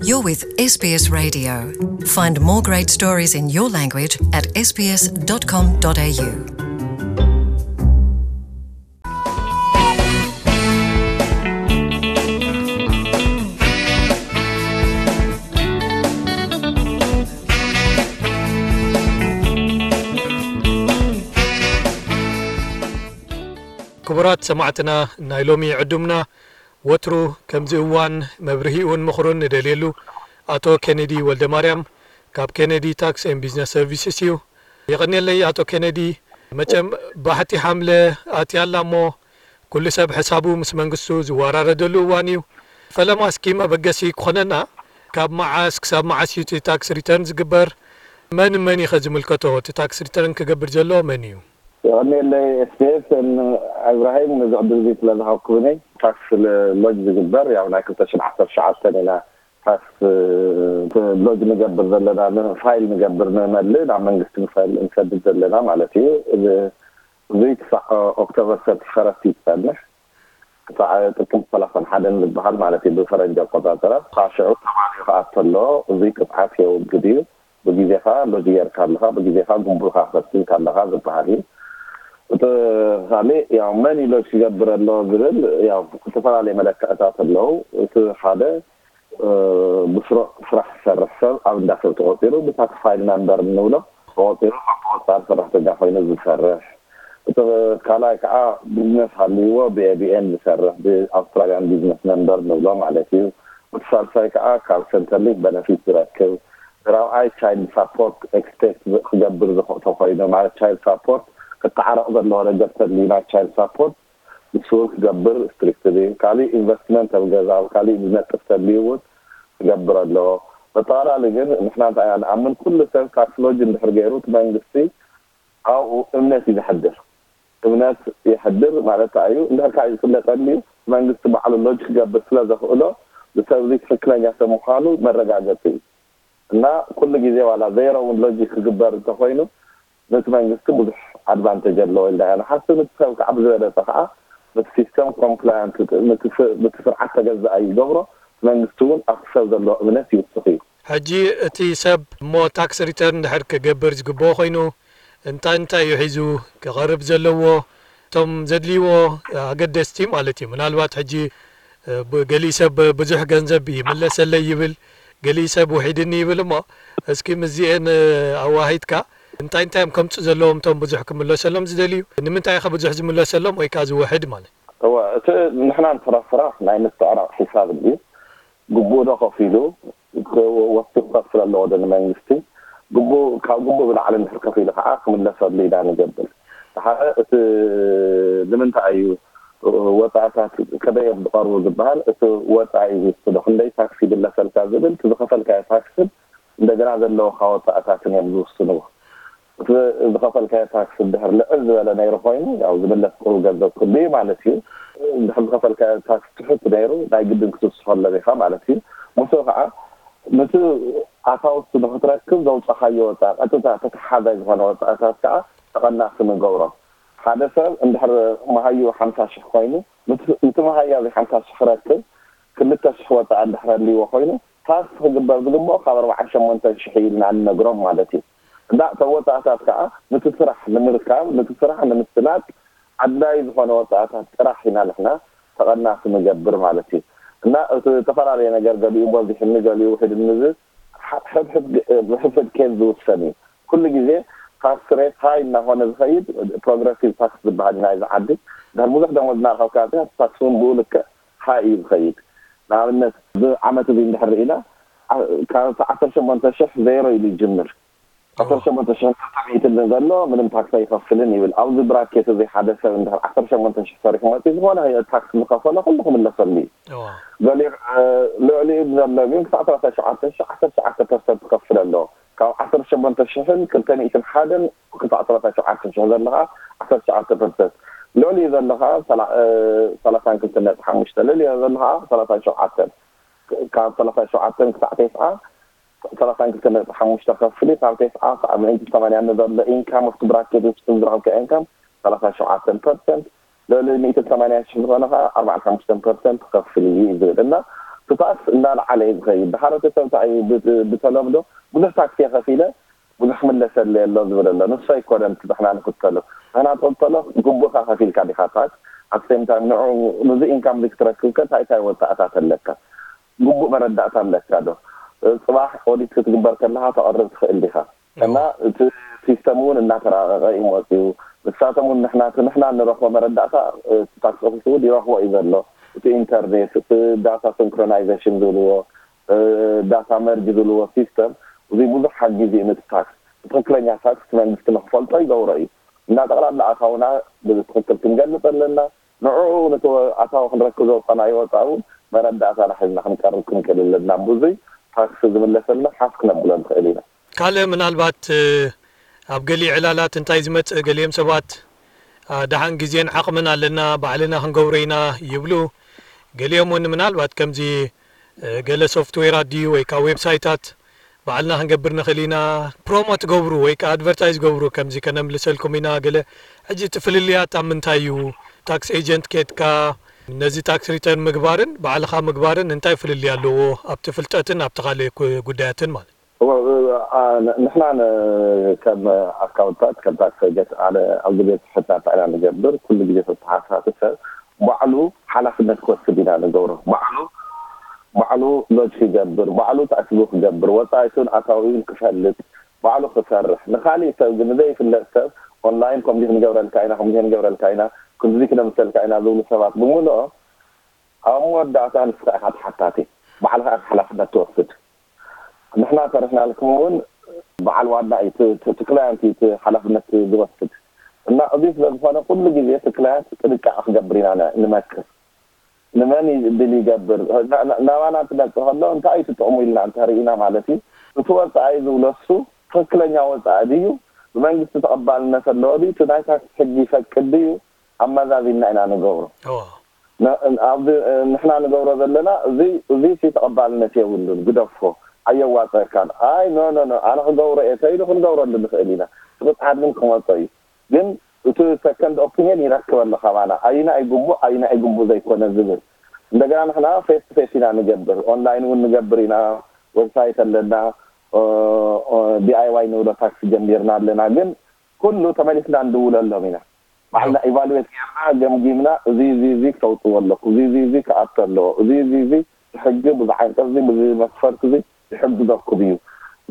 You're with S B S Radio. Find more great stories in your language at S B S dot com dot A U. ክቡራት ሰማዕትና፣ ናይ ሎሚ ዕዱምና ወትሩ ከምዚ እዋን መብርሂኡን ምኽሩን ንደልየሉ ኣቶ ኬኔዲ ወልደማርያም ካብ ኬኔዲ ታክስ ኤን ቢዝነስ ሰርቪስስ እዩ። የቐንየለይ ኣቶ ኬኔዲ። መቸም ባሕቲ ሓምለ ኣትያ ኣላ እሞ ኩሉ ሰብ ሕሳቡ ምስ መንግስቱ ዝወራረደሉ እዋን እዩ። ፈለማ እስኪ መበገሲ ክኾነና፣ ካብ መዓስ ክሳብ መዓስ እዩ እቲ ታክስ ሪተርን ዝግበር? መን መን እዩ ኸ ዝምልከቶ? እቲ ታክስ ሪተርን ክገብር ዘለዎ መን እዩ? የቐንየለይ ኤስቢኤስ እብራሂም፣ ነዚ ዕድል እዚ ስለ ዝሃብኩምኒ። ታክስ ሎጅ ዝግበር ያው ናይ ክልተ ሽሕን ዓሰርተ ትሽዓተን ኢና ታክስ ሎጅ ንገብር ዘለና፣ ፋይል ንገብር፣ ንመልእ ናብ መንግስቲ ንፋይል እንሰድድ ዘለና ማለት እዩ። እዚ ክሳዕ ኦክቶበር ሰርቲፈረስት እዩ ዝጸንሕ፣ ክሳዕ ጥቅምቲ ሰላሳን ሓደን ዝበሃል ማለት እዩ ብፈረንጂ ኣቆጻጽራ። ካብ ሽዑ ተማሊኡ ክኣቱ ኣለዎ። እዚ ቅጽዓት የውግድ እዩ። ብግዜኻ ሎጅ ጌርካ ኣለኻ፣ ብግዜኻ ጉቡእኻ ፈጺምካ ኣለኻ ዝበሃል እዩ። እቲ ካልእ ያው መን እዩ ሎጅ ክገብር ኣለዎ ዝብል ያው ዝተፈላለዩ መለክዕታት ኣለዉ። እቲ ሓደ ብስሩዕ ስራሕ ዝሰርሕ ሰብ ኣብ እንዳ ሰብ ተቖጺሩ ብታክስ ፋይል ናምበር እንብሎ ተቖጺሩ ከም ብቐጻሪ ሰራሕተኛ ኮይኑ ዝሰርሕ። እቲ ካልኣይ ከዓ ቢዝነስ ሃልይዎ ብኤቢኤን ዝሰርሕ ብኣውስትራልያን ቢዝነስ ነምበር ንብሎ ማለት እዩ። እቲ ሳልሳይ ከዓ ካብ ሰንተርሊንክ በነፊት ዝረክብ። ራብዓይ ቻይልድ ሳፖርት ኤክስፔክት ክገብር ዝኽእቶ ኮይኑ ማለት ቻይልድ ሳፖርት ክተዓረቕ ዘለዎ ነገር ተድልዩ ናይ ቻይልድ ሳፖርት ንሱ እውን ክገብር ስትሪክትሊ። ካሊእ ኢንቨስትመንት ኣብ ገዛ ኣብ ካሊእ ዝነጥፍ ተድልዩ እውን ክገብር ኣለዎ። በጠቓላሊ ግን ንሕና እንታይ ኢና ንኣምን፣ ኩሉ ሰብ ታክስ ሎጅ እንድሕር ገይሩ እቲ መንግስቲ ኣብኡ እምነት እዩ ዘሕድር። እምነት የሕድር ማለት እንታይ እዩ? እንድሕር ካብ ዝፍለጠኒ መንግስቲ ባዕሉ ሎጅ ክገብር ስለ ዘኽእሎ ንሰብ እዚ ትኽክለኛ ሰብ ምዃኑ መረጋገፂ እዩ። እና ኩሉ ግዜ ዋላ ዜሮ እውን ሎጅ ክግበር እንተኾይኑ ነቲ መንግስቲ ብዙሕ ኣድቫንቴጅ ኣለዎ ኢልና ኢና ንሓስብ። ነቲ ሰብ ከዓ ብዝበለፀ ከዓ ነቲ ሲስተም ኮምፕላያንት ነቲ ስርዓት ተገዛኢ ይገብሮ። እቲ መንግስቲ እውን ኣብቲ ሰብ ዘለዎ እምነት ይውስኽ እዩ። ሕጂ እቲ ሰብ እሞ ታክስ ሪተርን ድሕር ክገብር ዝግብኦ ኮይኑ እንታይ እንታይ እዩ ሒዙ ክቐርብ ዘለዎ? እቶም ዘድልይዎ ኣገደስቲ ማለት እዩ። ምናልባት ሕጂ እ፣ ብ- ገሊእ ሰብ ብዙሕ ገንዘብ ይምለሰለይ ይብል፣ ገሊእ ሰብ ውሒድኒ ይብል። እሞ እስኪ ምስዚኤን እ፣ ኣዋሂድካ እንታይ እንታይ እዮም ከምፁ ዘለዎም እቶም ብዙሕ ክምለሰሎም ዝደልዩ? ንምንታይ ከ ብዙሕ ዝምለሰሎም ወይ ከዓ ዝውሕድ ማለት? እወ፣ እቲ ንሕና ንፍረፍራ ናይ ምትዕራቕ ሒሳብ እዩ። ግቡእ ዶ ከፊሉ፣ ወሲኹ ክኸፍል ኣለዎ ዶ ንመንግስቲ? ግቡእ፣ ካብ ግቡእ ብላዕሊ እንድሕር ከፊሉ ከዓ ክምለሰሉ ኢና ንገብር። ሓደ እቲ ንምንታይ እዩ ወፃእታት ከመይ እዮም ዝቐርቡ ዝበሃል፣ እቲ ወፃኢ ዝውስኖ፣ ክንደይ ታክስ ይምለሰልካ ዝብል፣ እቲ ዝኸፈልካዮ ታክስን እንደገና ዘለውካ ወፃእታትን እዮም ዝውስንዎ። እቲ ዝኸፈልካዮ ታክስ እንድሕር ልዕል ዝበለ ነይሩ ኮይኑ፣ ያው ዝምለስ ቁሩብ ገንዘብ ክህሉ እዩ ማለት እዩ። እንድሕር ዝኸፈልካዮ ታክስ ትሑት ነይሩ፣ ናይ ግድን ክትውስኸሎም ኢኻ ማለት እዩ። ምስኡ ከዓ ነቲ ኣታውስ ንኽትረክብ ዘውፃኻዮ ወፃኢ፣ ቀጥታ ተተሓዛይ ዝኾነ ወፃእታት ከዓ ተቐናሲ ንገብሮ። ሓደ ሰብ እንድሕር መሃዩ ሓምሳ ሽሕ ኮይኑ፣ ንቲ መሃያ እዚ ሓምሳ ሽሕ ክረክብ ክልተ ሽሕ ወፃኢ እንድሕር ኣልዎ ኮይኑ፣ ታክስ ክግበር ዝግብኦ ካብ ኣርባዓን ሸሞንተን ሽሕ ኢልና ንነግሮም ማለት እዩ። እንዳ እቶም ወፃእታት ከዓ ንቲ ስራሕ ንምርካብ፣ ንቲ ስራሕ ንምስላጥ ኣድላይ ዝኾነ ወፃእታት ጥራሕ ኢና ንሕና ተቐናሲ ንገብር ማለት እዩ። እና እቲ ዝተፈላለየ ነገር ገሊኡ በዚሕኒ ገሊኡ ውሕድኒ ዝ- ሕ- ሕድሕድ ግ- ብሕድሕድ ኬዝ ዝውሰን እዩ። ኩሉ ግዜ ታክስ ሬት ሃይ እናኾነ ዝኸይድ ፕሮግረሲቭ ታክስ ዝበሃል እዩ ናይዚ ዓዲ። እንድሕር ብዙሕ ደሞዝ እናረኸብካ እቲ ታክስ እውን ብኡ ልክዕ ሃይ እዩ ዝኸይድ። ንኣብነት እዚ ዓመት እዚ እንድሕር ርኢና ዓ- ካብ ዓሰርተ ሸሞንተ ሽሕ ዜሮ ኢሉ ይጅምር። ዓሰርተ ሸሞንተ ሽሕን ክልተ ሚእትን ንዘሎ ምንም ታክስ ኣይኸፍልን ይብል። ኣብዚ ብራኬት እዚ ሓደ ሰብ እንድሕር ዓሰርተ ሸሞንተ ሽሕ ሰሪሑ መፂኡ ዝኾነ ታክስ ዝኸፈሎ ኩሉ ክምለሰሉ እዩ። ገሊኡ ልዕሊኡ ዘሎ ግን ክሳዕ ሰላሳ ሸውዓተ ሽሕ ዓሰርተ ሸውዓተ ፐርሰንት ክኸፍል ኣለዎ። ካብ ዓሰርተ ሸሞንተ ሽሕን ክልተ ሚእትን ሓደን ክሳዕ ሰላሳ ሸውዓተ ሽሕ ዘሎ ከዓ ዓሰርተ ሸውዓተ ፐርሰንት፣ ልዕሊኡ ዘሎ ከዓ ሰላሳን ክልተን ነጥቢ ሓሙሽተ፣ ልዕሊኡ ዘሎ ከዓ ሰላሳን ሸውዓተን፣ ካብ ሰላሳን ሸውዓተን ክሳዕ ተስዓ ሰላሳን ክልተን ነጥቢ ሓሙሽተ ከፍል እዩ። ካብ ተስዓ ክሳዕ ሚእቲ ሰማንያ ንዘሎ ኢንካም ኣብቲ ብራኬት ውሽጥን ዝረኸብካ ኢንካም ሰላሳን ሸውዓተን ፐርሰንት፣ ልዕሊ ሚእቲ ሰማንያ ሽሕ ዝኾነ ከዓ ኣርባዓን ሓሙሽተን ፐርሰንት ክኸፍል እዩ እዩ ዝብል እና እቲ ታክስ እንዳለዓለ እዩ ዝኸይድ። ድሓር እቲ ሰብ እንታይ እዩ ብ- ብተለምዶ ብዙሕ ታክስ እየ ከፊለ ብዙሕ ክምለሰለይ ኣሎ ዝብል ኣሎ። ንሱ ኣይኮነን እቲ ንሕና ንኽተሎ። ንሕና ንኽተሎ ግቡእካ ከፊልካ ዲኻ ታክስ? ኣብ ሴም ታይም ንዑ ንዚ ኢንካም እዚ ክትረክብከ እንታይ እንታይ ወፃእታት ኣለካ? ግቡእ መረዳእታ ኣለካ ዶ? ጽባሕ ኦዲት ክትግበር ከለኻ ተቕርብ ትኽእል ዲኻ? እና እቲ ሲስተም እውን እናተራቐቐ እዩ መፅዩ። ንሳቶም እውን ንሕና እቲ ንሕና እንረኽቦ መረዳእታ እቲ ታክስ ኦፊስ እውን ይረኽቦ እዩ ዘሎ። እቲ ኢንተርኔት፣ እቲ ዳታ ሲንክሮናይዜሽን ዝብልዎ፣ ዳታ መርጅ ዝብልዎ ሲስተም እዚ ብዙሕ ሓጊዙ እዩ። ነቲ ታክስ ብትኽክለኛ ታክስ እቲ መንግስቲ ንክፈልጦ ይገብሮ እዩ። እና ጠቕላላ ኣታውና ብትኽክል ክንገልፅ ኣለና። ንዕኡ ነቲ ኣታዊ ክንረክብ ዘውፃናዮ ወፃ እውን መረዳእታና ሒዝና ክንቀርብ ክንክእል ኣለና። ብዙይ ታክስ ዝምለሰልና ሓፍ ክነብሎ ንኽእል ኢና። ካልእ ምናልባት ኣብ ገሊኡ ዕላላት እንታይ ዝመጽእ፣ ገሊኦም ሰባት ደሓን ግዜን ዓቕምን ኣለና፣ ባዕልና ክንገብሮ ኢና ይብሉ። ገሊኦም እውን ምናልባት ከምዚ ገለ ሶፍትዌራት ድዩ ወይ ከዓ ዌብሳይታት ባዕልና ክንገብር ንኽእል ኢና፣ ፕሮሞት ገብሩ ወይ ከዓ ኣድቨርታይዝ ገብሩ፣ ከምዚ ከነምልሰልኩም ኢና ገለ። ሕጂ እቲ ፍልልያት ኣብ ምንታይ እዩ? ታክስ ኤጀንት ኬድካ ነዚ ታክስ ሪተርን ምግባርን ባዕልኻ ምግባርን እንታይ ፍልልይ ኣለዎ? ኣብቲ ፍልጠትን ኣብቲ ካልእ ጉዳያትን ማለት። ንሕና ከም ኣካውንታት ከም ታክስ ኤጀንት ኣነ ኣብ ግዜ ትሕትና እንታይ ኢና ንገብር? ኩሉ ግዜ ተተሓሳሲ ሰብ ባዕሉ ሓላፍነት ክወስድ ኢና ንገብሮ። ባዕሉ ባዕሉ ሎጅ ክገብር፣ ባዕሉ ታክስ ክገብር፣ ወፃኢቱን ኣታዊኡን ክፈልጥ፣ ባዕሉ ክሰርሕ፣ ንካሊእ ሰብ ግን ንዘይፍለጥ ሰብ ኦንላይን ከምዚ ክንገብረልካ ኢና ከምዚ ክንገብረልካ ኢና ክንዚ ክነምሰልካ ኢና ዝብሉ ሰባት ብምልኦም ኣብ መወዳእታ ንስኻ ኢኻ ተሓታቲ፣ ባዕልኻ ኢኻ ሓላፍነት ትወስድ። ንሕና ሰሪሕናልኩም እውን በዓል ዋና እዩ፣ እቲ ክላያንት እዩ እቲ ሓላፍነት ዝወስድ። እና እዚ ስለ ዝኾነ ኩሉ ግዜ እቲ ክላያንት ጥንቃቐ ክገብር ኢና ንመክር። ንመን ድል ይገብር፣ ናባና እንትመፅእ ከሎ እንታይ እዩ ትጥቕሙ ኢልና እንተርኢና ማለት እዩ። እቲ ወፃኢ ዝብሎ እሱ ትኽክለኛ ወፃኢ ድዩ፣ ብመንግስቲ ተቐባልነት ኣለዎ ድዩ፣ እቲ ናይ ታክስ ሕጊ ይፈቅድ ድዩ፣ ኣመዛዚንና ኢና ንገብሮ። ንሕና ንገብሮ ዘለና እዚ ተቐባልነት የብሉን፣ ግደፎ፣ ኣየዋፀካን። ኣይ ኖ ኖ ኖ ኣነ ክገብሮ እየ ተይሉ ክንገብረሉ ንኽእል ኢና። እቲ ቅፅዓት ግን ክመፆ እዩ። ግን እቲ ሰከንድ ኦፒንየን ይረክበሉ ካባና፣ ኣይና ይግቡእ ኣይና ይግቡእ ዘይኮነ ዝብል። እንደገና ንሕና ፌስ ቱ ፌስ ኢና ንገብር፣ ኦንላይን እውን ንገብር ኢና፣ ዌብሳይት ኣለና፣ ዲኣይዋይ ንብሎ ታክሲ ጀሚርና ኣለና። ግን ኩሉ ተመሊስና ንድውለሎም ኢና። ባዕልና ኢቫሉዌት ጌርና ገምጊምና፣ እዚ እዚ እዚ ክተውፅዎ ኣለኩም፣ እዚ እዚ እዚ ክኣቱ ኣለዎ፣ እዚ እዚ እዚ ብሕጊ ብዚ ዓንቀፅ እዚ ብዚ መስፈርት እዚ ይሕግዘኩም እዩ፣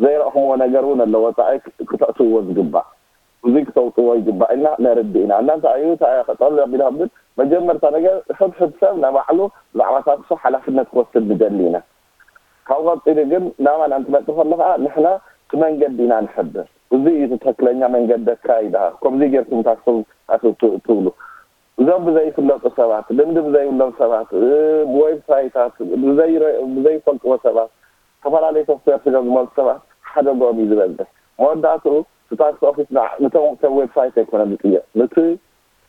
ዘይረእኹምዎ ነገር እውን ኣሎ ወፃኢ ክተእትውዎ ዝግባእ፣ እዚ ክተውፅዎ ይግባእ ኢልና ነርድእ ኢና። እና እንታይ እዩ እንታይ እየ ክጠሉ ኣቢልኩም ግን መጀመርታ ነገር ሕድሕድ ሰብ ንባዕሉ ብዛዕባ ታክሱ ሓላፍነት ክወስድ ንደሊ ኢና። ካብ ቀፂሉ ግን ናባና እንትመፅእ ከሎ ከዓ ንሕና እቲ መንገዲ ኢና ንሕብር። እዚ እዩ እቲ ትክክለኛ መንገዲ ኣካይዳ፣ ከምዚ ጌርኩም ታክሱ ትብሉ። እዞም ብዘይፍለጡ ሰባት፣ ልምዲ ብዘይብሎም ሰባት፣ ብዌብሳይታት ብዘይፈልጥዎ ሰባት፣ ዝተፈላለዩ ሶፍትዌር ስለ ዝመፁ ሰባት ሓደግኦም እዩ ዝበዝሕ። መወዳእትኡ እቲ ታክስ ኦፊስ ንቶም ሰብ ዌብሳይት ኣይኮነን ዝጥየቕ፣ ንቲ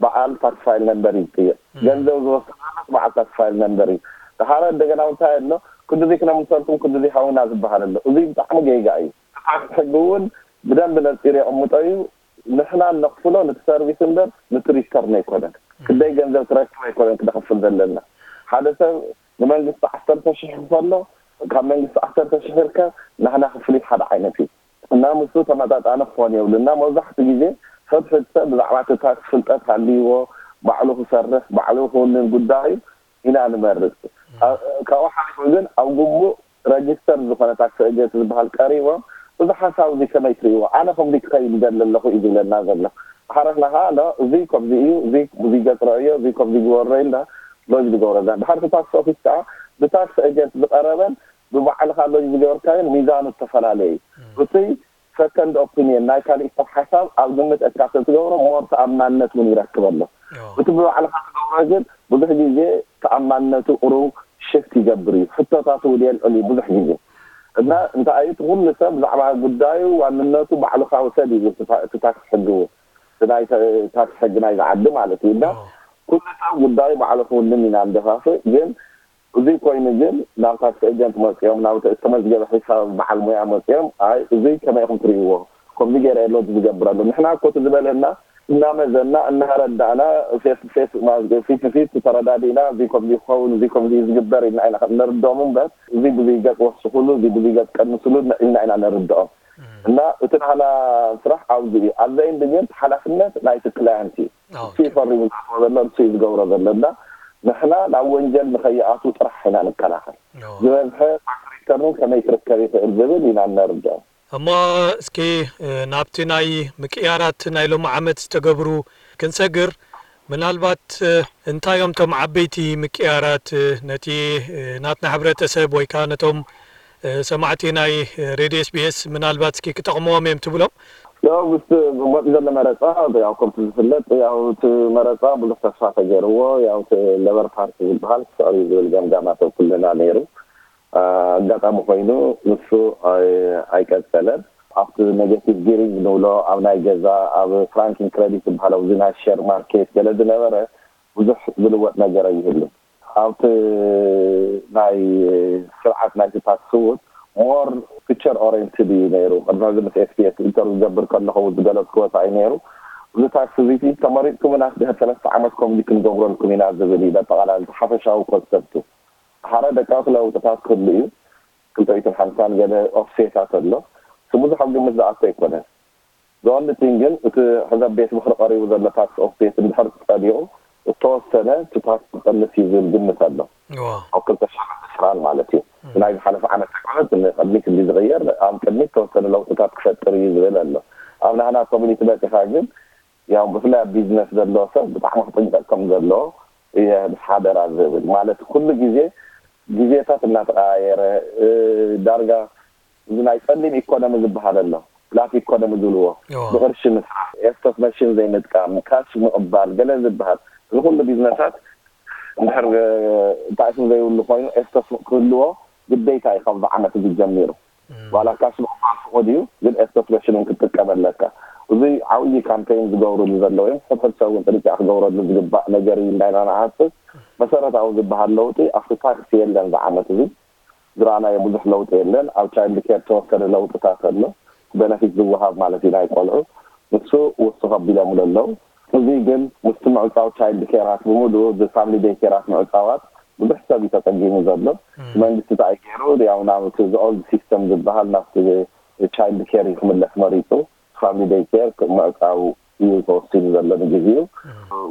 በዓል ታክስ ፋይል ነምበር እዩ ዝጥየቕ። ገንዘብ ዝወስድ በዓል ታክስ ፋይል ነምበር እዩ። ድሓረ እንደገና እውን እንታይ ኣሎ፣ ክንድዚ ክነምልሰልኩም ክንድዚ ሃውና ዝበሃል ኣሎ። እዚ ብጣዕሚ ጌጋ እዩ። እቲ ታክስ ሕጊ እውን ብደንቢ ነፂሩ የቕምጦ እዩ። ንሕና ነኽፍሎ ንቲ ሰርቪስ እምበር ንቲ ሪተርን ኣይኮነን። ክንደይ ገንዘብ ትረክብ ኣይኮነን ክነኽፍል ዘለና። ሓደ ሰብ ንመንግስቲ ዓሰርተ ሽሕ ክፈሎ፣ ካብ መንግስቲ ዓሰርተ ሽሕ ይርከብ፣ ናህና ክፍሊት ሓደ ዓይነት እዩ። እና ምስኡ ተመጣጣኒ ክኾን የብሉ። እና መብዛሕትኡ ግዜ ሕድሕድ ሰብ ብዛዕባ እቲ ታክስ ፍልጠት ሃልይዎ፣ ባዕሉ ክሰርሕ፣ ባዕሉ ክውንን ጉዳዩ ኢና ንመርጽ። ካብኡ ሓሊፉ ግን ኣብ ግቡእ ረጅስተር ዝኾነ ታክሲ ኤጀንት ዝበሃል ቀሪቦም፣ እዚ ሓሳብ እዚ ከመይ ትርእይዎ? ኣነ ከምዚ ክኸይድ ይደሊ ኣለኹ እዩ ዝብለና ዘሎ። ሓረስና ከዓ ኖ፣ እዚ ከምዚ እዩ፣ እዚ እዚ ገፅሮ እዮ፣ እዚ ከምዚ ግበሮ ኢልና ሎጅ ዝገብረና። ድሓር እቲ ታክሲ ኦፊስ ከዓ ብታክሲ ኤጀንት ዝቐረበን ብባዕልኻ ሎጅ ዝገበርካዮን ሚዛኑ ዝተፈላለየ እዩ። እቲ ሰከንድ ኦፒንየን ናይ ካሊእ ሰብ ሓሳብ ኣብ ግምት እካ ስለ ትገብሮ ሞር ተኣማንነት እውን ይረክብ ኣሎ። እቲ ብባዕልኻ ትገብሮ ግን ብዙሕ ግዜ ተኣማንነቱ ቁሩብ ሽፍት ይገብር እዩ። ሕቶታት እውን የልዕል እዩ ብዙሕ ግዜ። እና እንታይ እዩ እቲ ኩሉ ሰብ ብዛዕባ ጉዳዩ ዋንነቱ ባዕልኻ ውሰድ እዩ ዝብል እቲ ታክስ ሕጊ እውን። እቲ ናይ ታክስ ሕጊ ናይዚ ዓዲ ማለት እዩ። እና ኩሉ ሰብ ጉዳዩ ባዕሉ ክውንን ኢና ንደፋፍእ። ግን እዚ ኮይኑ ግን ናብ ታክሲ ኤጀንት መፅኦም ናብ ዝተመዝገበ ሒሳብ በዓል ሞያ መፅኦም ኣይ እዚ ከመይ ኢኹም ትርእይዎ? ከምዚ ገይረ እየ ሎጅ ዝገብረሉ። ንሕና እኮ እቲ ዝበለና እናመዘና እናረዳእና ፌስ ፌስ ፊት ንፊት ተረዳዲእና እዚ ከምዚ ክኸውን እዚ ከምዚ ዝግበር ኢልና ኢና ነርድኦም እምበር እዚ ብዙይ ገፅ ወስኹሉ እዚ ብዙይ ገፅ ቀንስሉ ኢልና ኢና ነርድኦም። እና እቲ ናህና ስራሕ ኣብዚ እዩ። ኣዘይን ድግን ሓላፍነት ናይቲ ክላየንት እዩ። እሱ ይፈሪሙ ዝኣትዎ ዘሎ እሱ እዩ ዝገብሮ ዘሎ እና ንሕና ናብ ወንጀል ንኸይኣቱ ጥራሕ ኢና ንከላኸል። ዝበዝሐ ታክስ ሪተርን ከመይ ክርከብ ይኽእል ዝብል ኢና ነርድኦም። እሞ እስኪ ናብቲ ናይ ምቅያራት ናይ ሎሚ ዓመት ዝተገብሩ ክንሰግር፣ ምናልባት እንታይ እዮም እቶም ዓበይቲ ምቅያራት ነቲ ናትና ሕብረተሰብ ወይ ከዓ ነቶም ሰማዕቲ ናይ ሬድዮ ኤስቢኤስ ምናልባት እስኪ ክጠቕምዎም እዮም ትብሎም? ያው ምስቲ መፂ ዘሎ መረፃ ያው ከምቲ ዝፍለጥ ያው እቲ መረፃ ብዙሕ ተስፋ ተገይርዎ ያው እቲ ለበር ፓርቲ ዝበሃል ክስዕር እዩ ዝብል ገምጋማት ኣብ ኩልና ነይሩ። ኣጋጣሚ ኮይኑ ንሱ ኣይቀፀለን። ኣብቲ ኔጌቲቭ ጊሪንግ ንብሎ ኣብ ናይ ገዛ ኣብ ፍራንኪን ክሬዲት ዝበሃል ኣብዚ ናይ ሼር ማርኬት ገለ ዝነበረ ብዙሕ ዝልወጥ ነገር ኣይህሉን። ኣብቲ ናይ ስርዓት ናይቲ ታክስ እውን ሞር ፊቸር ኦሪየንትድ እዩ ነይሩ። ቅድሚ ሕዚ ምስ ኤስቢኤስ ኢንተርቪው ዝገብር ከለኹ ዝገለፅኩ ወፃኢ ነይሩ። እዚ ታክስ እዚ ተመሪፅኩምና ድሕሪ ሰለስተ ዓመት ከምዚ ክንገብረልኩም ኢና ዝብል እዩ። በጠቓላሊ ሓፈሻዊ ኮንሰፕቱ ሓደ ደቃቂ ለውጥታት ክህሉ እዩ። ክልተ ሚእትን ሓምሳን ገለ ኦፍሴታት ኣሎ። እቲ ብዙሕ ኣብ ግምት ዝኣቱ ኣይኮነን። The only thing ግን እቲ ሕዚ ኣብ ቤት ምኽሪ ቀሪቡ ዘሎ ታክስ ኦፍሴት እንድሕር ጸዲቑ እተወሰነ እቲ ታክስ ክቐንስ እዩ ዝብል ግምት ኣሎ። ኣብ ክልተ ሽሕን ዕስራን ማለት እዩ። ናይ ዝሓለፈ ዓመት ኣይኮነን፣ ንቕድሚት እንዲ ዝቕየር ኣብ ቅድሚት ተወሰነ ለውጥታት ክፈጥር እዩ ዝብል ኣሎ። ኣብ ናህና ኮሚኒቲ መጺኻ ግን ያው ብፍላይ ኣብ ቢዝነስ ዘሎ ሰብ ብጣዕሚ ክጥንቀቕ ከም ዘለዎ እየ ምስ ሓደራ ዝብል ማለት ኩሉ ግዜ ግዜታት እናተቀያየረ ዳርጋ እዚ ናይ ጸሊም ኢኮኖሚ ዝበሃል ኣሎ ፍላት ኢኮኖሚ ዝብልዎ ብቅርሺ ምስራሕ ኤስቶስ መሽን ዘይምጥቃም ካሽ ምቕባል ገለ ዝበሃል እዚ ኩሉ ቢዝነሳት እንድሕር እንታይ ስም ዘይብሉ ኮይኑ ኤስቶስ ክህልዎ ግዴታ እዩ ካብዚ ዓመት እዚ ጀሚሩ ዋላ ካሽ ምቕባል ፍቑድ እዩ ግን ኤስቶስ መሽን እውን ክትጥቀም ኣለካ እዚ ዓብዪ ካምፔይን ዝገብሩሉ ዘለዉ እዮም ሕድሕድ ሰብ እውን ጥንቃ ክገብረሉ ዝግባእ ነገር እዩ እንዳይና ንሓስብ መሰረታዊ ዝበሃል ለውጢ ኣብቲ ታክስ የለን ዝዓመት እዚ ዝረኣናዮ ብዙሕ ለውጢ የለን ኣብ ቻይልድ ኬር ተወሰነ ለውጥታት ኣሎ በነፊት ዝወሃብ ማለት እዩ ናይ ቆልዑ ንሱ ውስኽ ኣቢሎምሉ ኣለዉ እዚ ግን ምስቲ ምዕፃው ቻይልድ ኬራት ብምሉኡ እዚ ፋሚሊ ደይ ኬራት ምዕፃዋት ብዙሕ ሰብ እዩ ተፀጊሙ ዘሎ መንግስቲ እንታይ ገይሩ ያው ናብ እቲ ኦልድ ሲስተም ዝበሃል ናብቲ ቻይልድ ኬር እዩ ክምለስ መሪፁ ፋሚሊ ደይ ኬር ምዕፃው እዩ ተወሲኑ ዘሎ ንግዜኡ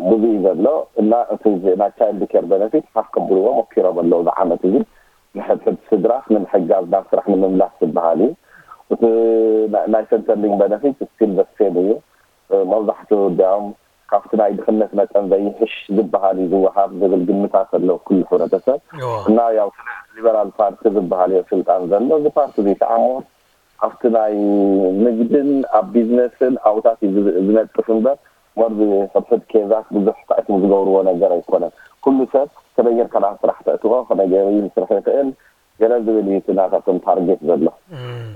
ብዙ እዩ ዘሎ እና እቲ ናይ ቻይልድ ኬር በነፊት ሓፍ ከብልዎ ሞኪሮም ኣለዉ ዝዓመት እዚ ንሕድሕድ ስድራስ ንምሕጋዝ ናብ ስራሕ ንምምላስ ዝበሃል እዩ እቲ ናይ ሰንተርሊንግ በነፊት ስቲል ዘሴም እዩ መብዛሕትኡ እንዲያውም ካብቲ ናይ ድኽነት መጠን ዘይሕሽ ዝበሃል እዩ ዝወሃብ ዝብል ግምታት ኣሎ ኩሉ ሕብረተሰብ እና ያው ስለ ሊበራል ፓርቲ ዝበሃል እዮ ስልጣን ዘሎ እዚ ፓርቲ እዚ ከዓ ሞር ኣብቲ ናይ ንግድን ኣብ ቢዝነስን ኣብታት እዩ ዝነጥፍ እምበር ሞር ሕድሕድ ኬዛት ብዙሕ ታእኪቡ ዝገብርዎ ነገር ኣይኮነን ኩሉ ሰብ ከመይ ጌርካ ናብ ስራሕ ተእትዎ ከመይ ገይሩ ይምስርሕ ይኽእል ገለ ዝብል እዩ እቲ ናታቶም ታርጌት ዘሎ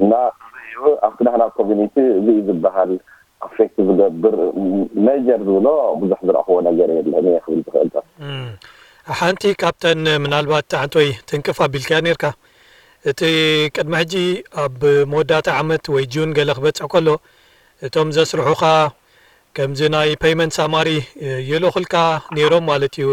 እና እዚ እዩ ኣብቲ ናህና ኮሚኒቲ እዚ እዩ ዝበሃል ኣፌክት ዝገብር ሜጀር ዝብሎ ብዙሕ ዝረእኽዎ ነገር የለን እየ ክብል ዝኽእል ሓንቲ ካብተን ምናልባት ሓንቲ ወይ ትንቅፍ ኣቢልካያ ነርካ እቲ ቅድሚ ሕጂ ኣብ መወዳእታ ዓመት ወይ ጁን ገለ ክበፅሕ ከሎ እቶም ዘስርሑኻ ከምዚ ናይ ፔይመንት ሳማሪ ይልእኹልካ ነይሮም ማለት እዩ።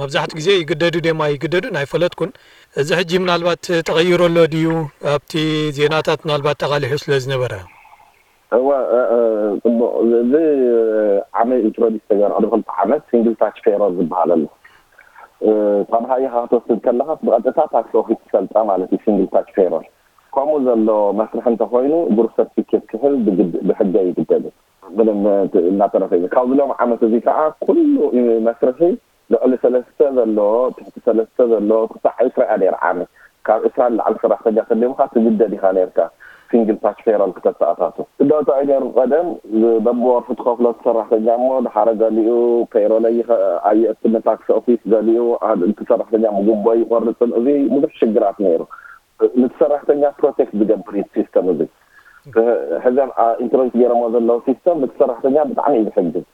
መብዛሕትኡ ግዜ ይግደዱ ድዮም ኣይግደዱን ኣይፈለጥኩን። እዚ ሕጂ ምናልባት ተቐይሩ ኣሎ ድዩ ኣብቲ ዜናታት ምናልባት ተቓሊሑ ስለ ዝነበረ? እወ ፅቡቕ እዚ ዓመት ኢንትሮዲስ ተገይሩ ቅድሚ ክልተ ዓመት ሲንግል ታች ፔሮል ዝበሃል ኣሎ። ካብ ሃይኻ ክትወስድ ከለኻስ ብቐጥታ ታክስ ኦፊስ ትፈልጣ ማለት እዩ ሲንግል ታች ፔሮል። ከምኡ ዘሎ መስርሒ እንተኾይኑ ግሩፕ ሰርቲፊኬት ክሕዝ ብሕገ ይግደድ እዩ። ምንም እናተረፈ እዩ። ካብዚ ሎም ዓመት እዚ ከዓ ኩሉ መስርሒ ልዕሊ ሰለስተ ዘለዎ፣ ትሕቲ ሰለስተ ዘለዎ ክሳዕ ዕስራ እያ ነይራ ዓመት። ካብ ዕስራ ንላዕሊ ሰራሕተኛ ተሊሙካ ትግደድ ኢኻ ነይርካ ሲንግል ታች ፔሮል ክተተኣታቱ። እዳታ እዩ ነይሩ ቀደም በብወርሒ ትኸፍሎ ሰራሕተኛ እሞ ድሓረ ገሊኡ ፔሮለይ ኣየእትን ታክስ ኦፊስ ገሊኡ እቲ ሰራሕተኛ ምጉቦ ይቆርፅን እዚ ብዙሕ ሽግራት ነይሩ። ንቲ ሰራሕተኛ ፕሮቴክት ዝገብር እዩ ሲስተም እዚ ሕዘም ኢንትሮዲስ ገይሮሞ ዘለዉ ሲስተም ንቲ ሰራሕተኛ ብጣዕሚ እዩ ዝሕግዝ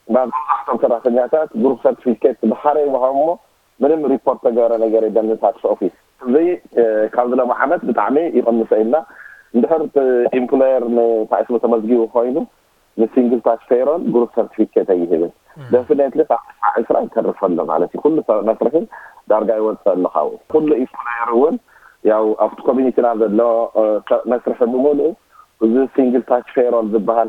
መብዛሕቶም ሰራሕተኛታት ግሩፕ ሰርቲፊኬት ብሓረ ይወሃብ እሞ ምንም ሪፖርት ተገበረ ነገር የለን ንታክስ ኦፊስ እዚ ካብ ዝለማ ዓመት ብጣዕሚ ይቐንሰ ኢልና እንድሕር ኢምፕሎየር ንታይስሙ ተመዝጊቡ ኮይኑ ንሲንግል ታች ፔይሮል ግሩፕ ሰርቲፊኬት ኣይህብን። ደፍኔትሊ ካብ ዕስራ ይተርፍ ኣሎ ማለት እዩ። ኩሉ ሰብ መስርሒ ዳርጋ ይወፅእ ኣሎ ካብኡ። ኩሉ ኢምፕሎየር እውን ያው ኣብቲ ኮሚኒቲና ዘሎ መስርሒ ብምሉእ እዚ ሲንግል ታች ፔይሮል ዝበሃል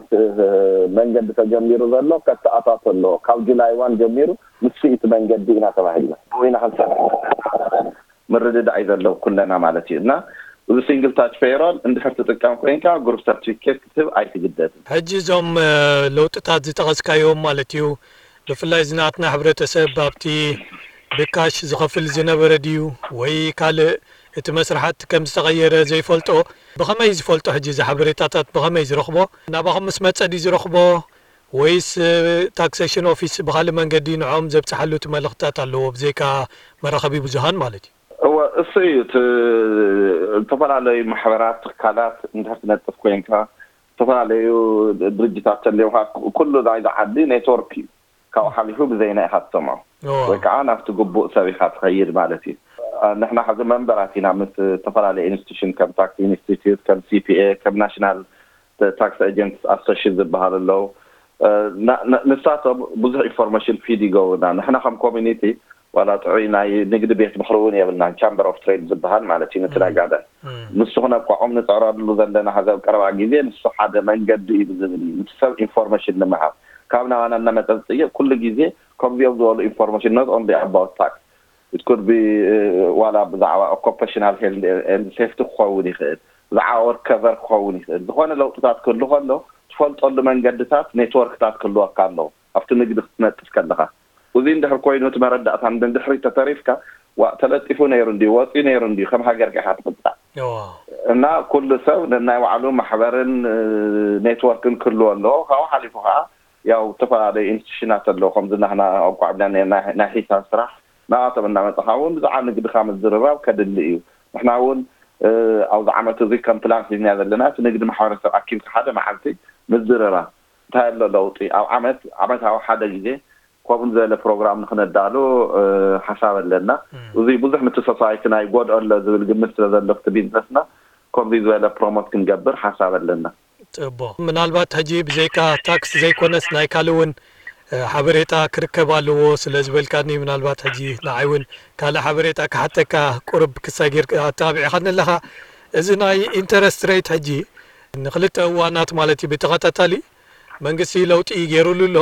መንገዲ ተጀሚሩ ዘሎ ከተኣታቶ ኣለዎ። ካብ ጁላይ ዋን ጀሚሩ ንሱ እቲ መንገዲ ኢና ተባሂልና ብኡ ኢና ክንሰርሕ ምርድዳእ እዩ ዘለዎ ኩለና ማለት እዩ። እና እዚ ሲንግል ታች ፔይሮል እንድሕር ትጥቀም ኮይንካ ግሩፕ ሰርቲፊኬት ክትህብ ኣይትግደድን። ሕጂ እዞም ለውጥታት ዝጠቐስካዮም ማለት እዩ፣ ብፍላይ ዝናትና ሕብረተሰብ ኣብቲ ብካሽ ዝኸፍል ዝነበረ ድዩ ወይ ካልእ እቲ መስርሓት ከም ዝተቐየረ ዘይፈልጦ? ብኸመይ ዝፈልጦ? ሕጂ እዚ ሓበሬታታት ብኸመይ ዝረኽቦ? ናባኹም ምስ መጸ ድዩ ዝረኽቦ ወይስ ታክሴሽን ኦፊስ ብኻልእ መንገዲ ንዖም ዘብጽሓሉ እቲ መልእኽትታት ኣለዎ ብዘይካ መራኸቢ ብዙሃን ማለት እዩ? እወ፣ እሱ እዩ እቲ ዝተፈላለዩ ማሕበራት፣ ትካላት እንድሕር ትነጥፍ ኮይንካ፣ ዝተፈላለዩ ድርጅታት ተልዮካ፣ ኩሉ ናይዚ ዓዲ ኔትወርክ እዩ። ካብኡ ሓሊፉ ብዘይና ኢኻ ትሰምዖ ወይ ከዓ ናብቲ ግቡእ ሰብ ኢኻ ትኸይድ ማለት እዩ። ንሕና ሕዚ መንበራት ኢና ምስ ዝተፈላለዩ ኢንስቲቱሽን ከም ታክስ ኢንስቲትዩት፣ ከም ሲፒኤ፣ ከም ናሽናል ታክስ ኤጀንትስ ኣሶሽን ዝበሃሉ ኣለዉ። ንሳቶም ብዙሕ ኢንፎርሜሽን ፊድ ይገብሩና። ንሕና ከም ኮሚኒቲ ዋላ ጥዑይ ናይ ንግዲ ቤት ምኽሪ እውን የብልናን፣ ቻምበር ኦፍ ትሬድ ዝበሃል ማለት እዩ። ነቲ ናይ ጋደን ንሱ ክነቋቑም ንፅዕረሉ ዘለና ሀዚ ኣብ ቀረባ ግዜ ንሱ ሓደ መንገዲ እዩ ዝብል እዩ። ነቲ ሰብ ኢንፎርሜሽን ንምሃብ ካብ ናባና እናመፀ ዝፅይቕ ኩሉ ግዜ ከምዚኦም ዝበሉ ኢንፎርሜሽን not only about tax it could be ዋላ ብዛዕባ occupational health and safety ክኸውን ይኽእል፣ ብዛዕባ ወርከቨር ክኸውን ይኽእል። ዝኾነ ለውጥታት ክህሉ ከሎ ትፈልጠሉ መንገድታት ኔትወርክታት ክህልወካ ኣለዎ ኣብቲ ንግዲ ክትነጥፍ ከለኻ። እዚ እንድሕር ኮይኑ እቲ መረዳእታ ንድሕሪት ተተሪፍካ ዋእ ተለጢፉ ነይሩ እንድዩ ወፂኡ ነይሩ እንድዩ ከም ሃገር ኢኻ ትቕፃዕ። እና ኩሉ ሰብ ነናይ ባዕሉ ማሕበርን ኔትወርክን ክህልዎ ኣለዎ። ካብኡ ሓሊፉ ከዓ ያው ዝተፈላለዩ ኢንስቲቱሽናት ኣለዉ ከምዚ ናህና ኣቋዕብና ናይ ሒሳብ ስራሕ ናባቶም እናመፅኻ እውን ብዛዕባ ንግድኻ ምዝርራብ ከድሊ እዩ። ንሕና እውን ኣብዚ ዓመት እዚ ከም ፕላን ሒዝና ዘለና እቲ ንግዲ ማሕበረሰብ ኣኪብካ ሓደ መዓልቲ ምዝርራብ እንታይ ኣሎ ለውጢ ኣብ ዓመት ዓመታዊ ሓደ ግዜ ከምኡ ዝበለ ፕሮግራም ንክነዳሉ ሓሳብ ኣለና። እዚ ብዙሕ ንቲ ሶሳይቲ ናይ ጎድኦ ኣሎ ዝብል ግምት ስለ ዘሎ ቲ ቢዝነስና ከምዚ ዝበለ ፕሮሞት ክንገብር ሓሳብ ኣለና። ፅቡቕ። ምናልባት ሕጂ ብዘይካ ታክስ ዘይኮነስ ናይ ካልእ እውን ሓበሬታ ክርከብ ኣለዎ ስለ ዝበልካኒ ምናልባት ሕጂ ንዓይ እውን ካልእ ሓበሬታ ክሓተካ ቁርብ ክሳጊር ኣተባቢዕኻኒ ኣለኻ። እዚ ናይ ኢንተረስት ሬት ሕጂ ንክልተ እዋናት ማለት እዩ ብተኸታታሊ መንግስቲ ለውጢ ገይሩሉ ኣሎ።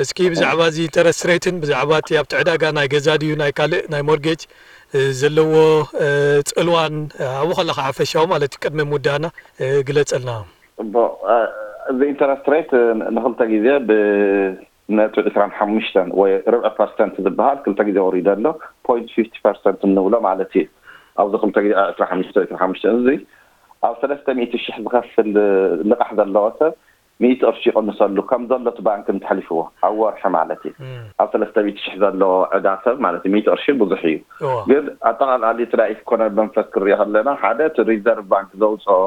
እስኪ ብዛዕባ እዚ ኢንተረስት ሬትን ብዛዕባ እቲ ኣብቲ ዕዳጋ ናይ ገዛ ድዩ ናይ ካልእ ናይ ሞርጌጅ ዘለዎ ፅልዋን ኣብኡ ከለካ ሓፈሻዊ ማለት እዩ ቅድሚ ምውዳእና ግለፀልና። እዚ ኢንተረስት ሬት ንክልተ ግዜ ብነጥቢ ዕስራን ሓሙሽተን ወይ ርብዒ ፐርሰንት ዝበሃል ክልተ ግዜ ወሪዱ ኣሎ። ፖይንት ፊፍቲ ፐርሰንት እንብሎ ማለት እዩ። ኣብዚ ክልተ ግዜ ዕስራ ሓሙሽተ ዕስራ ሓሙሽተ እዚ ኣብ ሰለስተ ሚእቲ ሽሕ ዝኸፍል ልቓሕ ዘለዎ ሰብ ሚእቲ ቅርሺ ይቕንሰሉ ከም ዘሎ እቲ ባንክ እንተሕሊፍዎ ኣብ ወርሒ ማለት እዩ። ኣብ ሰለስተ ሚእቲ ሽሕ ዘለዎ ዕዳ ሰብ ማለት እዩ። ሚእቲ ቅርሺ ብዙሕ እዩ። ግን ኣጠቓላሊ እቲ ናይ ኢኮኖሚ መንፈስ ክሪኦ ከለና ሓደ እቲ ሪዘርቭ ባንክ ዘውፅኦ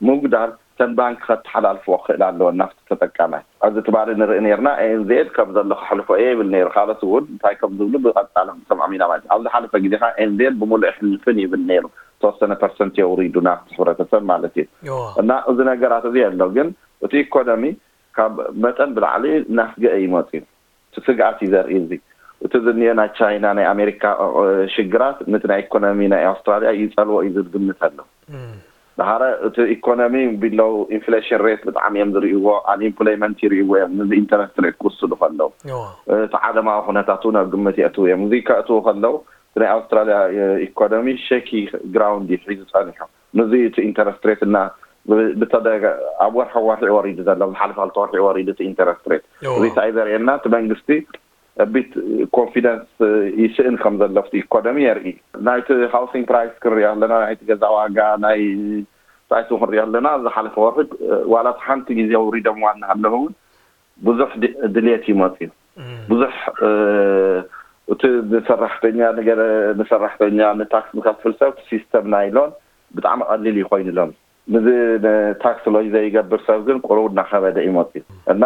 ምጉዳል እተን ባንክ ከተሓላልፍኦ ክኽእል ኣለወን ናብቲ ተጠቃማይ። ኣብዚ ትማሊ ንርኢ ነርና ኤንዜድ ከም ዘሎ ከሕልፎ እየ ይብል ነይሩ። ካልኦት እውን እንታይ ከም ዝብሉ ብቐፃሎም ሰምዖም ኢና ማለት እዩ። ኣብ ዝሓለፈ ግዜ ከዓ ኤንዜድ ብምሉእ ይሕልፍን ይብል ነይሩ። ዝተወሰነ ፐርሰንት የውሪዱ ናብቲ ሕብረተሰብ ማለት እዩ። እና እዚ ነገራት እዚ ኣሎ ግን እቲ ኢኮኖሚ ካብ መጠን ብላዕሊ እናስገአ እዩ መፅዩ። እቲ ስግኣት እዩ ዘርኢ እዚ። እቲ ዝኒኦ ናይ ቻይና ናይ ኣሜሪካ ሽግራት ነቲ ናይ ኢኮኖሚ ናይ ኣውስትራሊያ ይፀልዎ እዩ ዝብል ግምት ኣሎ። ድሓረ እቲ ኢኮኖሚ ቢሎው ኢንፍሌሽን ሬት ብጣዕሚ እዮም ዝርእይዎ፣ ኣንኢምፕሎይመንት ይርእይዎ እዮም፣ ንዚ ኢንተረስት ሬት ክውስዱ ከለዉ እቲ ዓለማዊ ኩነታት እውን ኣብ ግምት የእትዉ እዮም። እዚ ከእትዉ ከለዉ እቲ ናይ ኣውስትራሊያ ኢኮኖሚ ሸኪ ግራውንድ እዩ ሒዙ ፀኒሑ። ንዚ እቲ ኢንተረስት ሬት እና ብተደጋ ኣብ ወርሒ ወርሒ ወሪዱ ዘሎ ዝሓለፈ ክልተ ወርሒ ወሪዱ እቲ ኢንተረስት ሬት እዚ እንታይ ዘርእየና እቲ መንግስቲ ቢት ኮንፊደንስ ይስእን ከም ዘሎ ኣብቲ ኢኮኖሚ የርኢ። ናይቲ ሃውሲንግ ፕራይስ ክንሪኦ ኣለና፣ ናይቲ ገዛ ዋጋ ናይ ሳይቱ ክንሪኦ ኣለና። ዝሓለፈ ወርሒ ዋላ ሓንቲ ግዜ ውሪዶም ዋና ኣለዉ እውን ብዙሕ ድልየት ይመፅዩ ብዙሕ እቲ ንሰራሕተኛ ንገለ ንሰራሕተኛ ንታክስ ንከፍል ሰብ ሲስተም ናይ ሎን ብጣዕሚ ቀሊል ይኮይኑ ሎም ንዚ ንታክስ ሎይ ዘይገብር ሰብ ግን ቁሩብ እናኸበደ እዩ መፅዩ እና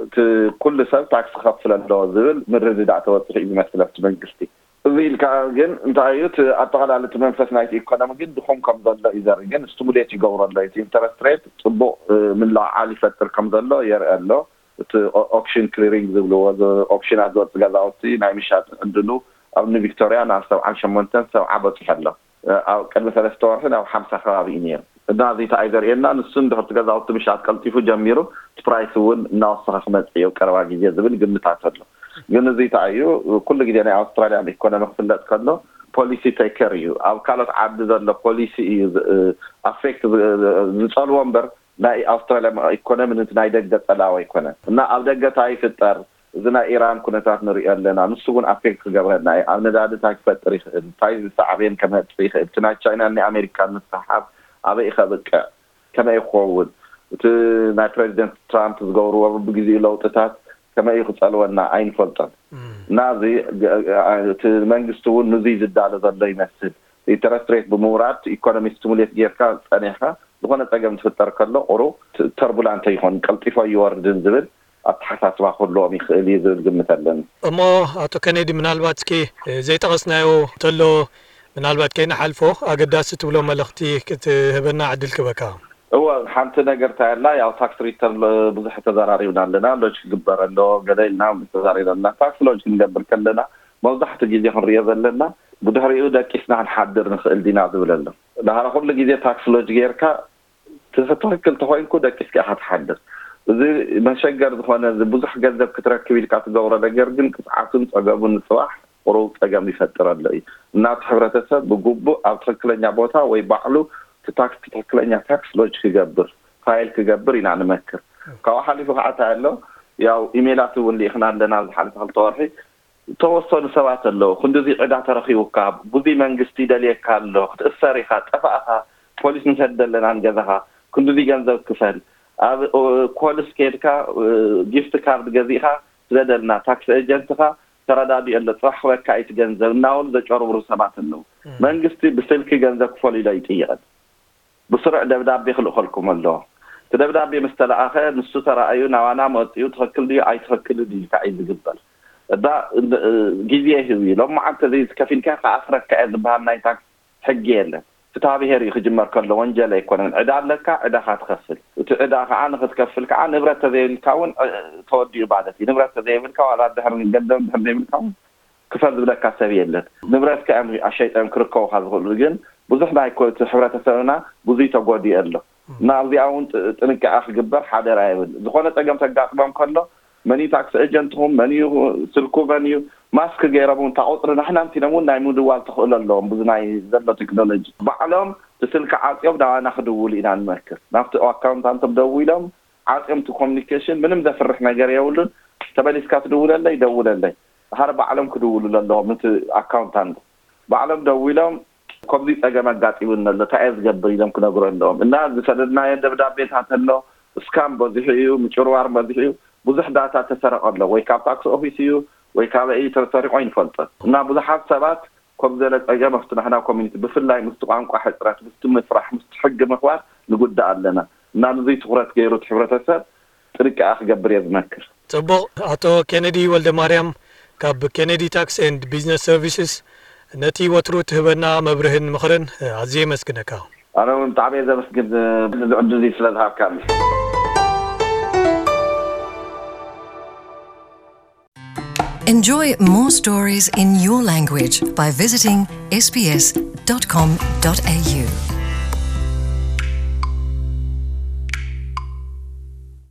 እቲ ኩሉ ሰብ ታክስ ክኸፍል ኣለዎ ዝብል ምርድዳእ ተበፅሑ እዩ ዝመስል ኣብቲ መንግስቲ። እዚ ኢልካ ግን እንታይ እዩ እቲ ኣጠቓላሊ እቲ መንፈስ ናይቲ ኢኮኖሚ ግን ድኹም ከም ዘሎ እዩ ዘርኢ። ግን ስቲሙሌት ይገብሮ ኣሎ። እቲ ኢንተረስት ሬት ጽቡቕ ምልዕዓል ይፈጥር ከም ዘሎ የርኢ ኣሎ። እቲ ኦክሽን ክሊሪንግ ዝብልዎ፣ ኦክሽናት ዝወፅ ገዛውቲ ናይ ምሻጥ ዕድሉ ኣብ ንቪክቶሪያ ናብ ሰብዓን ሸሞንተን ሰብዓ በፂሑ ኣሎ። ኣብ ቅድሚ ሰለስተ ወርሒ ናብ ሓምሳ ከባቢ እዩ ነይሩ። እና እዚ እንታይ እዩ ዘርእየና? ንሱ እንድሕር እቲ ገዛውቲ ምሻጥ ቀልጢፉ ጀሚሩ፣ እቲ ፕራይስ እውን እናወሰኸ ክመፅእ እዩ ቀረባ ግዜ ዝብል ግምታት ኣሎ። ግን እዚ እንታይ እዩ? ኩሉ ግዜ ናይ ኣውስትራሊያ ኢኮኖሚ ክፍለጥ ከሎ ፖሊሲ ቴከር እዩ። ኣብ ካልኦት ዓዲ ዘሎ ፖሊሲ እዩ ኣፌክት ዝፀልዎ እምበር ናይ ኣውስትራሊያ ኢኮኖሚ ነቲ ናይ ደገ ጸላኢ ኣይኮነን። እና ኣብ ደገ እንታይ ይፍጠር? እዚ ናይ ኢራን ኩነታት ንሪኦ ኣለና። ንሱ እውን ኣፌክት ክገብረና እዩ። ኣብ ነዳዲ እንታይ ክፈጥር ይኽእል? እንታይ ዝሳዕቤን ከመጽእ ይኽእል? እቲ ናይ ቻይናን ናይ ኣሜሪካን ምስሕሓብ ኣበይ ከብቅዕ? ከመይ ክኸውን? እቲ ናይ ፕሬዚደንት ትራምፕ ዝገብርዎ ብግዜኡ ለውጥታት ከመይ ክጸልወና ኣይንፈልጦን። እና እዚ እቲ መንግስቲ እውን ንዙይ ዝዳሎ ዘሎ ይመስል። ኢንተረስት ሬት ብምውራድ ኢኮኖሚ ስቲሙሌት ጌርካ ጸኒሕካ ዝኾነ ጸገም ዝፍጠር ከሎ ቁሩብ ተርቡላንት ይኾን፣ ቀልጢፎ ይወርድን ዝብል ኣተሓሳስባ ክህልዎም ይኽእል እዩ ዝብል ግምት ኣለኒ። እሞ ኣቶ ከኔዲ፣ ምናልባት እስኪ ዘይጠቐስናዮ እንተሎ ምናልባት ከይንሓልፎ ኣገዳሲ ትብሎ መልእኽቲ ክትህበና ዕድል ክበካ። እወ፣ ሓንቲ ነገር እንታይ ኣላ፣ ያው ታክስ ሪተርን ብዙሕ ተዘራሪብና ኣለና። ሎጅ ክግበር ኣለዎ ገለ ኢልና ተዛሪብና ኣለና። ታክስ ሎጅ ክንገብር ከለና መብዛሕትኡ ግዜ ክንሪኦ ዘለና ብድሕሪኡ ደቂስና ክንሓድር ንኽእል ዲና ዝብል ኣሎ። ዳሕራ ኩሉ ግዜ ታክስ ሎጅ ጌርካ ትኽክል ተኾይንኩ ደቂስካ ኢኻ ትሓድር። እዚ መሸገር ዝኾነ፣ እዚ ብዙሕ ገንዘብ ክትረክብ ኢልካ ትገብሮ ነገር ግን ቅፅዓቱን ፀገሙን ንፅባሕ ቁሩብ ፀገም ይፈጥር ኣሎ እዩ። እና እቲ ሕብረተሰብ ብግቡእ ኣብ ትኽክለኛ ቦታ ወይ ባዕሉ እቲ ታክስ ትኽክለኛ ታክስ ሎጅ ክገብር፣ ፋይል ክገብር ኢና ንመክር። ካብኡ ሓሊፉ ከዓ እንታይ ኣሎ፣ ያው ኢሜላት እውን ልኢኽና ኣለና ኣብዚ ሓለፈ ክልተ ወርሒ። ዝተወሰኑ ሰባት ኣለዉ፣ ክንድዚ ዕዳ ተረኺቡካ፣ ብዙይ መንግስቲ ይደልየካ ኣሎ፣ ክትእሰር ኢኻ፣ ጠፋእኻ፣ ፖሊስ ንሰድድ ኣለና ንገዛኻ፣ ክንድዚ ገንዘብ ክፈል፣ ኣብ ኮልስ ከድካ ጊፍት ካርድ ገዚእኻ ስደደልና፣ ታክስ ኤጀንትኻ ተረዳዲኡ ኣሎ፣ ፅባሕ ክበካ እዩ እቲ ገንዘብ እናበሉ ዘጨርብሩ ሰባት ኣለዉ። መንግስቲ ብስልኪ ገንዘብ ክፈሉ ኢሎ ይጥይቐን። ብስሩዕ ደብዳቤ ክልእኸልኩም ኣለዎ። እቲ ደብዳቤ ምስ ተለኣኸ ንሱ ተራእዩ ናባና መፂኡ ትኽክል ድዩ ኣይትኽክል ድዩ ኢልካ እዩ ዝግበር። እዛ ግዜ ይህብ እዩ። ሎማዓንቲ እዚ ከፊልካ ክኣስረካ እየ ዝበሃል ናይ ታክስ ሕጊ የለን። ፍትሃ ብሄር እዩ ክጅመር ከሎ ወንጀል ኣይኮነን። ዕዳ ኣለካ፣ ዕዳኻ ትኸፍል። እቲ ዕዳ ከዓ ንክትከፍል ከዓ ንብረት ተዘይብልካ እውን ተወዲኡ ማለት እዩ። ንብረት ተዘይብልካ ዋላ ድሕር ገንዘብ ድሕር ዘይብልካ እውን ክፈል ዝብለካ ሰብ የለን። ንብረትካ እዮም ኣሸይጦም ክርከቡካ ዝኽእሉ። ግን ብዙሕ ናይ ኮ-፣ እቲ ሕብረተሰብና ብዙይ ተጎዲኡ ኣሎ። እና ኣብዚኣ እውን ጥ-፣ ጥንቃቐ ክግበር ሓደራ ይብል። ዝኾነ ጸገም ተጋጥሞም ከሎ መን እዩ ታክሲ ኤጀንትኹም፣ መን እዩ ስልኩ፣ መን እዩ ማስክ ገይሮም እውን እታ ቁፅሪ ናሕና እንቲኖም እውን ናይ ምድዋል ተኽእሎ ኣለዎም። ብዙ ናይ ዘሎ ቴክኖሎጂ ባዕሎም እቲ ስልኪ ዓፅዮም ናባና ክድውሉ ኢና ንመክር። ናብቲ ኣካውንታንቶም ደዊሎም ዓፅዮም እቲ ኮሚኒኬሽን ምንም ዘፍርሕ ነገር የብሉን። ተመሊስካ ትድውለለይ፣ ደውለለይ። ድሓር ባዕሎም ክድውሉ ኣለዎም። እቲ ኣካውንታንት ባዕሎም ደዊሎም ከምዚ ጸገም ኣጋጢሙኒ ኣሎ፣ እንታይ እየ ዝገብር ኢሎም ክነግሩ ኣለዎም። እና ዝሰደድናዮ ደብዳቤታት ኣሎ፣ ስካም በዚሑ እዩ፣ ምጭርዋር በዚሑ እዩ፣ ብዙሕ ዳታ ተሰረቐ ኣሎ፣ ወይ ካብ ታክስ ኦፊስ እዩ ወይ ካበይ እዩ ተሰሪቑ ኣይንፈልጦን። እና ብዙሓት ሰባት ከም ዘለ ጸገም ኣብቲ ናሕና ኮሚኒቲ ብፍላይ ምስቲ ቋንቋ ሕጽረት፣ ምስቲ ምፍራሕ፣ ምስቲ ሕጊ ምኽባር ንጉዳእ ኣለና። እና ንዙይ ትኹረት ገይሩ እቲ ሕብረተሰብ ጥንቃቐ ክገብር እየ ዝመክር። ጽቡቕ። ኣቶ ኬነዲ ወልደ ማርያም ካብ ኬነዲ ታክስ ኤንድ ቢዝነስ ሰርቪስስ ነቲ ወትሩ ትህበና መብርህን ምኽርን ኣዝየ የመስግነካ። ኣነ እውን ብጣዕሚ እየ ዘመስግን፣ እዚ ዕድል እዚ ስለ ዝሃብካኒ። Enjoy more stories in your language by visiting S B S dot com dot A U.